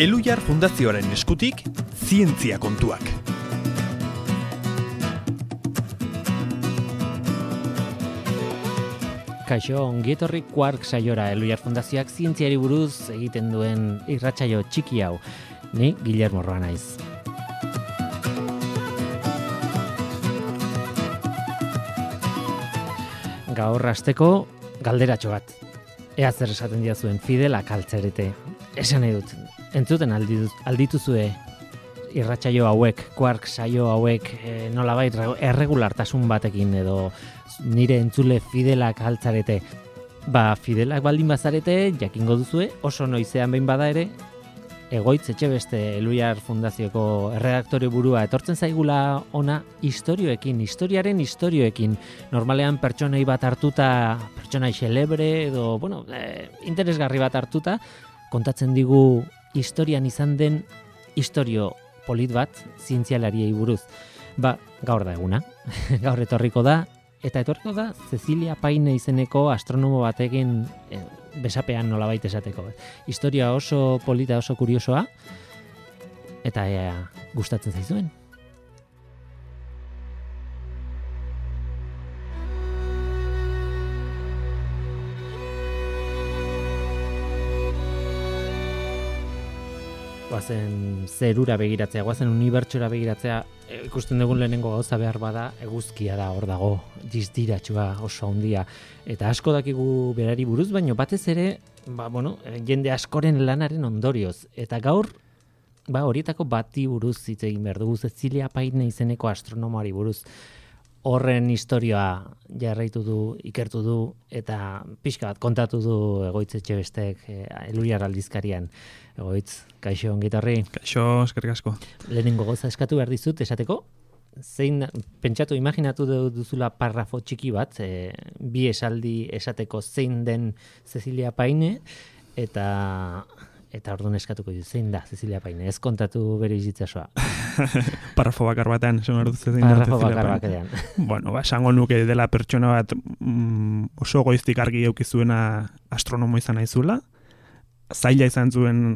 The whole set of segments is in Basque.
Elhuyar Fundazioaren eskutik, zientzia kontuak. Kaixo, ongietorri Quark saiora Elhuyar Fundazioak zientziari buruz egiten duen irratsaio txiki hau. Ni Guillermo Roa naiz. Gaur hasteko galderatxo bat. Ea zer esaten diazuen Fidela Kaltzerete. Esan nahi dut, entzuten aldituzue irratsaio hauek, Quark saio hauek nolabait erregulartasun batekin edo nire entzule Fidela Kaltzarete. Fidelak baldin bazarete, jakingo duzue, oso noizean behin bada ere, Egoitz Etxebeste Elhuyar Fundazioko erredaktore burua etortzen zaigula ona historiaren istorioekin. Normalean pertsonei bat hartuta, pertsonai xelebre edo, interesgarri bat hartuta, kontatzen digu historian izan den istorio polit bat zientzialariei buruz. Gaur da eguna. Gaur etorriko da Cecilia Payne izeneko astronomo batekin besapean nolabait esateko. Historia oso polita, oso kuriosoa, eta ea gustatzen zaizuen. Guazen zerura begiratzea, guazen unibertsora begiratzea, ikusten dugun lehenengo gauza behar bada, eguzkia da hor dago, dizdiratxua oso handia. Eta asko dakigu berari buruz, baino batez ere, jende askoren lanaren ondorioz. Eta gaur, horietako bati buruz hitz egin behar dugu, Cecilia Payne izeneko astronomoari buruz. Horren historia jarraitu du, ikertu du, eta pixka bat kontatu du Egoitz Etxebestek Elhuyar aldizkarian. Egoitz, kaixo ongitorri. Kaixo, eskerrik asko. Lehenengo goza eskatu behar dizut esateko, pentsatu, imaginatu duzula parrafo txiki bat, bi esaldi esateko zein den Cecilia Payne, eta orduan eskatuko dut, zein da Cecilia Payne, ez kontatu bere bizitzasoa. Parrafo bakar batean, parrafo bakar batean. Esango nuke dela pertsona bat oso goiztik argi eukizuena astronomo izan naizula. Zaila izan zuen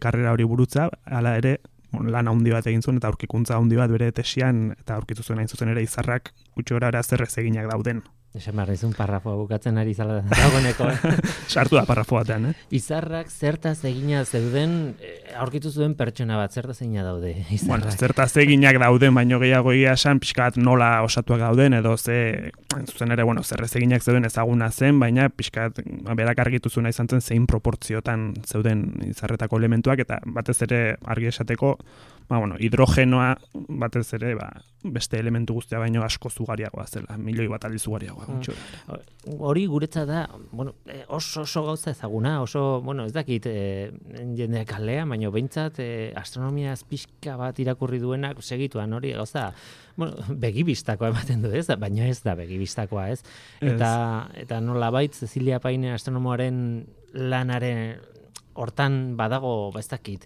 karrera hori burutza, hala ere lan handi bat egin zuen eta aurkikuntza handi bat bere tesian eta aurkitu zuen hain zuzen ere izarrak gutxora zer ez eginak dauden. Esan behar nizun parrafoa bukatzen ari zala dagoeneko. Sartu da parrafo batean, Izarrak zertaz egina zeuden, aurkitu zuen pertsona bat, zertaz egina daude izarrak? Zertaz eginak dauden, baino gehiago egia esan, pixkat nola osatuak dauden, edo zuzen ere, zerrez eginak zeuden ezaguna zen, baina pixkat berak argitu zuena izan zen zein proportziotan zeuden izarretako elementuak, eta batez ere argi esateko, hidrogenoa batez ere, beste elementu guztia baino asko zugariagoa zela, milioi bat aldiz zugariagoa. Hori guretza da, oso gauza ezaguna, oso, ez dakit jendeak kalea, baina behintzat astronomia pixka bat irakurri duenak segituan hori gauza, begibistakoa ematen du ez, baina ez da begibistakoa ez. Eta nolabait Cecilia Payne astronomoaren lanaren hortan badago, ez dakit,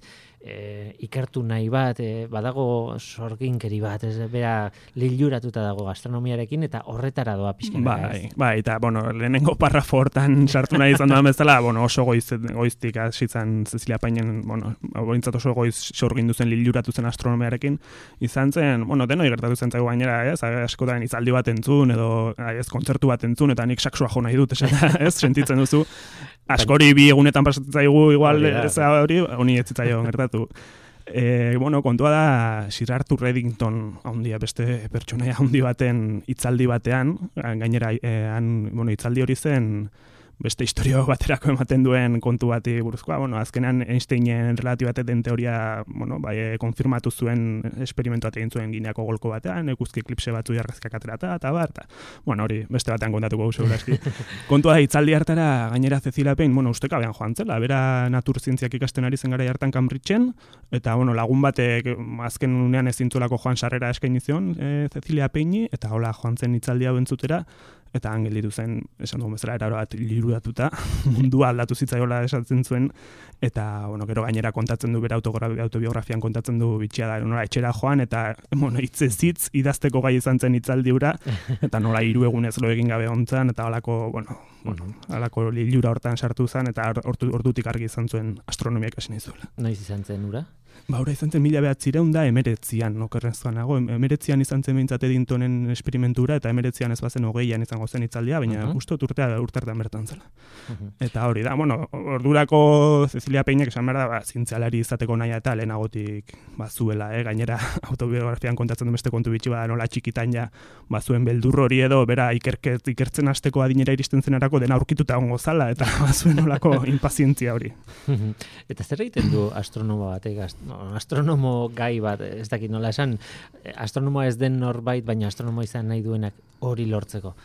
ikertu nahi bat, badago sorginkeri bat, bera liluratuta dago astronomiarekin eta horretara doa pixkanaka ez. Eta lehenengo parrafo hortan sartu nahi izan duan bezala, oso goiztik hasitzen Cecilia Paynen, bointzat oso goiz sorgindu zen liluratu zen astronomiarekin, izan zen, denoi gertatu zen zaigu gainera, askotan hitzaldi bat entzun, edo kontzertu bat entzun, eta nik saksua jo nahi dut, sentitzen duzu. Askori bi egunetan pasatzen zaigu igual honi ez zitzaion gertatu. Kontua da Sir Arthur Eddington handia, beste pertsonaia handi baten hitzaldi batean, gainera hitzaldi hori zen beste historio baterako ematen duen kontu bati buruzkoa, azkenean Einsteinen relatibitate teoria, konfirmatu zuen esperimentu bat egin zuen Gineako golko batean, eguzki eklipse batzu argazkiak aterata, eta hori beste batean kontatuko segurazki. Kontua da hitzaldi hartara gainera Cecilia Payne, ustekabean joan zela, bera naturzientziak ikasten ari zen gara hartan Cambridgeen, eta lagun batek azken unean ezin zuelako joan sarrera eskaini zion Cecilia Payne, eta hola joan zen hitzaldi hau entzutera, eta han gelditu zen, esan dugun bezala, eraro bat lirudatuta, mundua aldatu zitzaiola esatzen zuen, eta, bueno, gero gainera kontatzen du, bera autobiografian kontatzen du bitxia da, nola etxera joan, eta, bueno, hitzez hitz idazteko gai izan zen hitzaldi hura, eta nola 3 egunez lo egin gabe ontzan, eta halako, halako lilura hortan sartu zen, eta ordutik argi izan zuen astronomia ikasi nahi zuela. Noiz izan zen ura? Ura izan zen 1919 okerrezkoan nago, 19 izan zen behintzat Eddingtonen esperimentura, eta 19 ez bazen 20 izango zen hitzaldia, baina justo urteartan bertan zela. Eta hori da, bueno, ordurako Cecilia Peinek esan behar da, zientzialari izateko nahi eta lehenagotik zuela, gainera autobiografian kontatzen du beste kontu bitxi bada nola txikitan ja, zuen beldur hori edo, bera ikertzen hasteko adinera iristen zenerako dena aurkituta ongo zala, eta zuen nolako impazientzia hori. Eta zer egiten du astronomo batek, astronomo gai bat, ez dakit nola esan, astronomoa ez den norbait, baina astronomo izan nahi duenak hori lortzeko.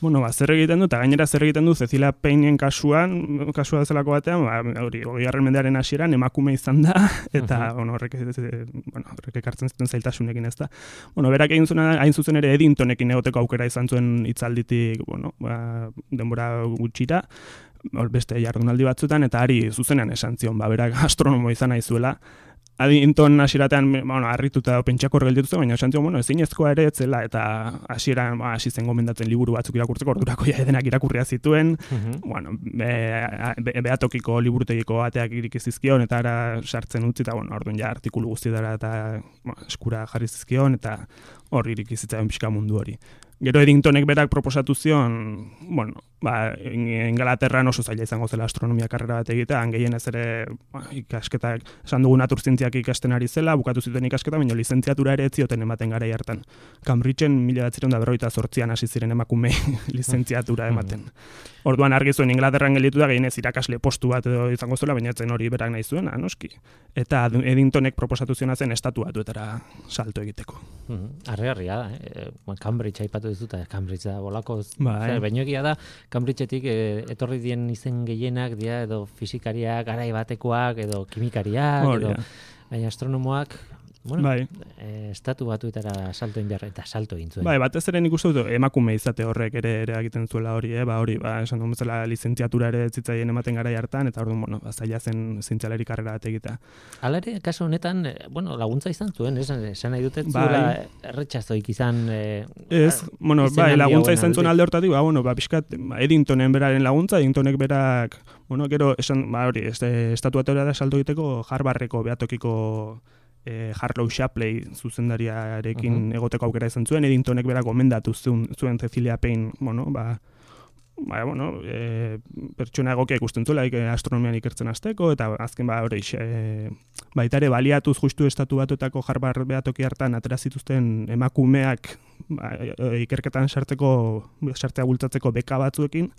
Bueno, zer egiten du, eta gainera zer egiten du Cecilia Peinen kasua zelako batean, hori, 20. mendearen hasieran emakume izan da, eta, horrek ekartzen zuten zailtasunekin ez da. Bueno, berak egin zuen, hain zuzen ere Eddingtonekin egoteko aukera izan zuen hitzalditik, denbora gutxira, beste jardunaldi batzuetan, eta ari zuzenean esan zion, berak astronomo izan nahi zuela. Eddington hasieratean harrituta pentsakor gelditu zen, baina esan zion, ezinezkoa ere etzela, eta hasieran hasi zen gomendatzen liburu batzuk irakurtzeko, ordurako ja edenak irakurria zituen, behatokiko liburutegiko ateak iriki zizkion, eta ara sartzen utzi, eta orduan ja artikulu guztietara eta eskura jarri zizkion, eta hor iriki zitzaion pixka mundu hori. Gero Eddingtonek berak proposatu zion, Ingalaterran oso zaila izango zela astronomia karrera bat egitea, gehienez ere ikasketak, esan dugu naturzientziak ikasten ari zela, bukatu zituen ikasketa, baina lizentziatura ere etzioten ematen garai hartan. Cambridgeen 1948an hasi ziren emakume lizentziatura ematen. Orduan argi zuen Ingalaterran gelditu da gehienez irakasle postu bat edo izango zuela, baina etzen hori berak nahi zuen, noski. Eta Eddingtonek proposatu ziona zen estatu batuetara salto egiteko. Arregarria da, Cambridge aipatu dizuta, Cambridge da bolako, baino egia da, Cambridgeetik etorri dien izen gehienak dira, edo fisikariak, garai batekoak, edo kimikariak, edo baina astronomoak, estatu batuetara salto egin behar, eta salto egin zuen. Batez ere nik uste dut emakume izate horrek ere egiten zuela hori, esan duen bezala lizentziatura ere zitzaien ematen garai hartan, eta orduan, zaila zen zientzialari karrera bat egitea. Hala ere, kaso honetan, laguntza izan zuen, esan nahi dut ez zuela erretxazoik izan... laguntza izan zuen alde hortatik, pixkat, Eddingtonen beraren laguntza, Eddingtonek berak, gero, esan, estatuatora da salto egiteko Harvardeko behatokiko Harlow Shapley zuzendariarekin egoteko aukera izan zuen, Eddingtonek berak gomendatu zuen Cecilia Payne, pertsona egokia ikusten zuela astronomian ikertzen hasteko, eta azken baita ere baliatuz justu estatu batuetako Harvard behatoki hartan atera zituzten emakumeak ikerketan sartzea bultzatzeko beka batzuekin,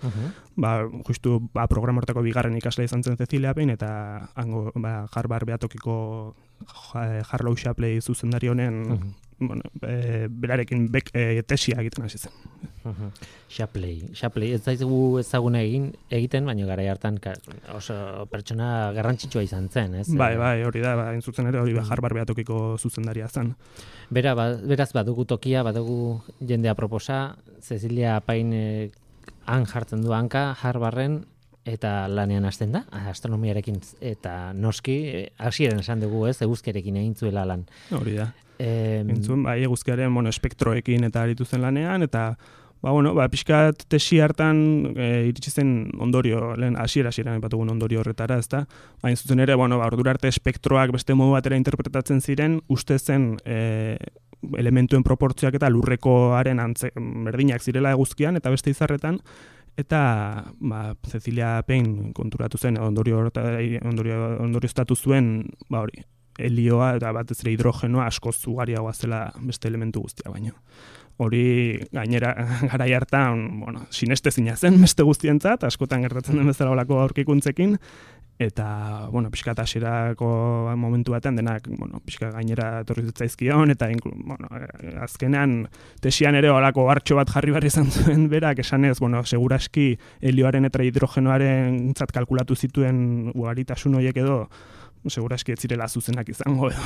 justu programa hortako bigarren ikasle izan zen Cecilia Payne, eta Harvard behatokiko Harlow Shapley zuzendari honen berarekin tesia egiten hasi zen. Shapley, ez daizu ezaguna egiten, baina garai hartan oso pertsona garrantzitsua izan zen, ez? Hori da, hain zuzen ere hori Harvard behatokiko zuzendaria zen. Beraz badugu tokia, badugu jendea proposa, Cecilia Payne han jartzen du hanka Harvarden, eta lanean hasten da, astronomiarekin, eta noski, hasieran esan dugu, eguzkiarekin egin zuela lan. Hori da. Entzun, eguzkiaren espektroekin eta aritu zen lanean, eta pixkat tesi hartan iritsi zen ondorio, lehen hasieran ipatugun ondorio horretara, ezta? Hain zuzen ere, ordura arte espektroak beste modu batera interpretatzen ziren, uste zen elementuen proportzioak eta lurrekoaren berdinak zirela eguzkian, eta beste izarretan, eta Cecilia Payne konturatu zen, ondorioztatu zuen, helioa eta batez ere hidrogenoa askoz ugariagoa zela beste elementu guztia baino. Hori gainera garai hartan, sinestezina zen beste guztientzat, askotan gertatzen den bezala holako aurkikuntzekin, eta, pixkat hasierako momentu batean denak, pixkat gainera etorri zitzaizkion, eta, azkenean tesian ere holako hartxo bat jarri behar izan zuen berak, esanez, seguraski helioaren eta hidrogenoaren kalkulatu zituen ugaritasun horiek edo, seguraski ez zirela zuzenak izango edo.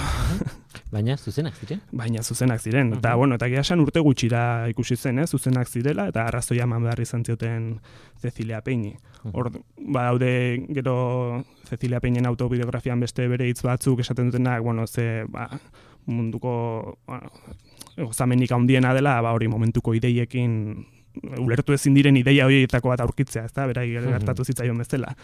Baina zuzenak ziren? Baina zuzenak ziren. Eta, eta egia esan urte gutxira ikusi zen, zuzenak zirela, eta arrazoia eman behar izan zioten Cecilia Peñi. Hor, daude gero Cecilia Peñen autobiografian beste bere hitz batzuk esaten dutenak, munduko gozamenik handiena dela, hori momentuko ideiekin ulertu ezin diren ideia horietako bat aurkitzea, ezta, berai gertatu zitzaion bezala.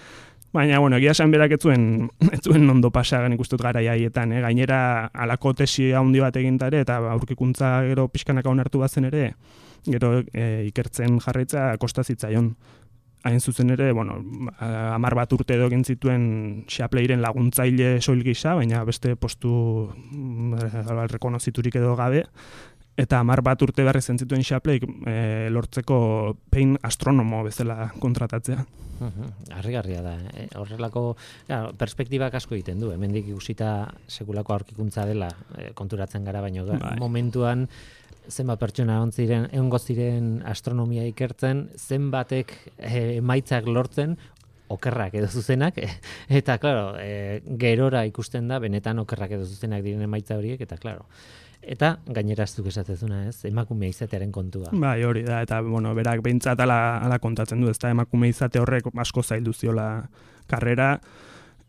Baina, egia esan berak ez zuen ondo pasagan ikustut garai haietan, gainera alako tesi handi bat egintare, eta aurkikuntza gero pixkanaka onartu bazen ere, gero ikertzen jarraitza kosta zitzaion. Hain zuzen ere, 10 bat urte edo egin zituen Xapleiren laguntzaile soil gisa, baina beste postu rekonoziturik edo gabe, eta 10 bat urte behar izan zituen Xapleik lortzeko pein astronomo bezala kontratatzea. Harrigarria da. Horrelako perspektibak asko egiten du. Hemendik ikusita sekulako aurkikuntza dela konturatzen gara, baino momentuan zenbat pertsona egongo ziren astronomia ikertzen, zenbatek emaitzak lortzen, okerrak edo zuzenak, eta, klaro, gerora ikusten da, benetan okerrak edo zuzenak diren emaitza horiek, eta, klaro. Eta gainera ez duk esatezuna, emakume izatearen kontua. Bai, hori da, eta, berak behintzat ala kontatzen du, ez da, emakume izate horrek asko zaildu ziola karrera.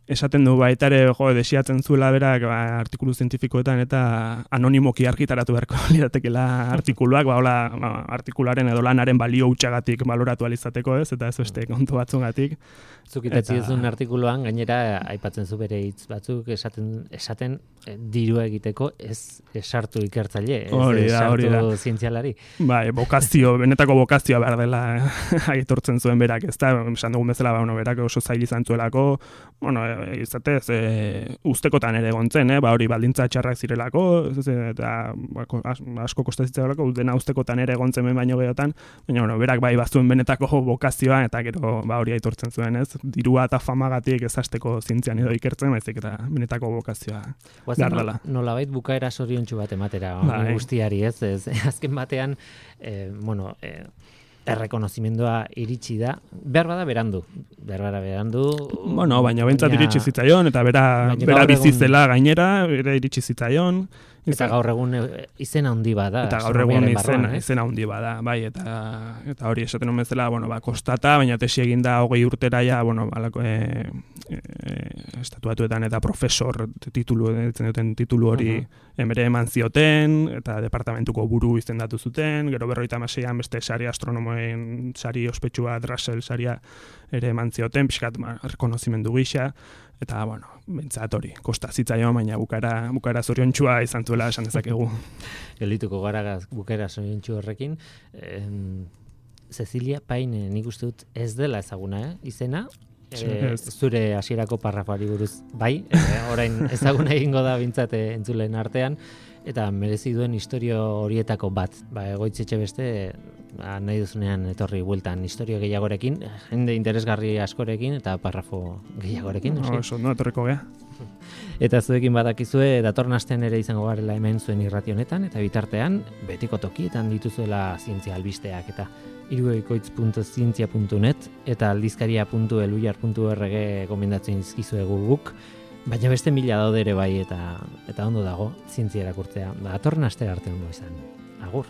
Esaten du baita ere, desiatzen zuela berak artikulu zientifikoetan eta anonimoki argitaratu beharko liratekela artikuluak, artikularen edo lanaren balio hutsagatik baloratu alizateko, eta ez beste kontu batzungatik. Zukitatzi ezun artikuluan, gainera aipatzen zu bere hitz batzuk esaten dirua egiteko ez sartu ikertzaile, ez sartu zientzialari. Bai, benetako bokazioa behar dela aitortzen zuen berak, ez da, esan dugun bezala, berak oso zail izan zuelako, izatez, ustekotan ere egontzen, hori baldintza txarrak zirelako, eta asko kostazitzalako, dena ustekotan ere egontzen baino gehiagotan, baina berak bai bazuen benetako bokazioa, eta gero hori aitortzen zuen, ez? Dirua eta famagatik ezasteko zientzian edo ikertzen, baizik eta benetako bokazioa behar dela. Nolabait bukaera zoriontsu bat ematera, guztiari, ez? Azken batean, errekonozimendua iritsi da, behar bada berandu. Baina bentsat iritsi zitzaion, eta bera bizizela gainera, bera iritsi zitzaion. Eta gaur egun izena handi bada. Eta gaur egun izena handi bada, bai, eta hori esaten bezala, kostata, baina tesi eginda 20 urtera ja, estatuatuetan eta profesor titulu hori bere eman zioten, eta departamentuko buru izendatu zuten, gero 56an beste sari astronomoen sari ospetsua, Russell saria ere eman zioten, pixkat rekonozimendu gisa, eta, bentsat hori, kosta zitzaion, baina bukara zoriontsua izan zuela esan dezakegu. Geldituko gara bukara zoriontsu horrekin. Cecilia Peñi, nik uste dut ez dela ezaguna, izena? Zure hasierako parrafoari buruz, bai, orain ezaguna egingo da bintzat entzulen artean, eta merezi duen istorio horietako bat. Egoitzetxe beste, nahi duzunean etorri bueltan istorio gehiagorekin, jende interesgarri askorekin eta parrafo gehiagorerekin. Etorriko gea. Eta zuekin badakizue, datorren astean ere izango garela hemen zuen irrati honetan, eta bitartean, betiko tokietan dituzuela zientzia albisteak, eta iruekoitz.zientzia.net eta aldizkaria.eluyar.org gomendatzen izkizuegu guk, baina beste 1000 daude ere bai, eta ondo dago zientzia erakurtzea. Datorren astera arte ondo izan. Agur!